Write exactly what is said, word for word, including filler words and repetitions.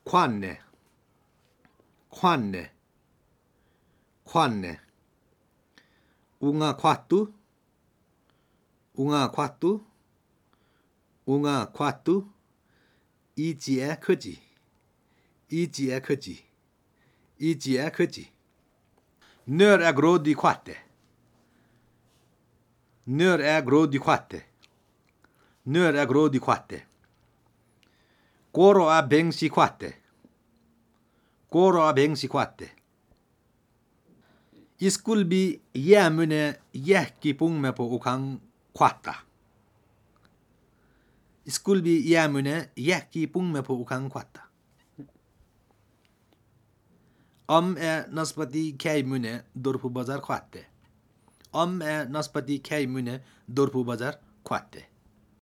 Quanne. Quanne. Quanne. Unga quattu. Unga quattu. Unga quattu. 이지에 크지. 이지에 크지. 이지에 크지. När är grodd i kvatte? När är grodd i kvatte? När är grodd i kvatte? Koro är bängs i kvatte. Koro är bängs i kvatte. Iskulbi jäämune jähki pungme på ukang kvatta. Iskulbi jäämune jähki pungme på ukang kvatta. Om är naspati kaimune dorpu bazar kvatte. Om är naspati kaimune dorpu bazar kvatte.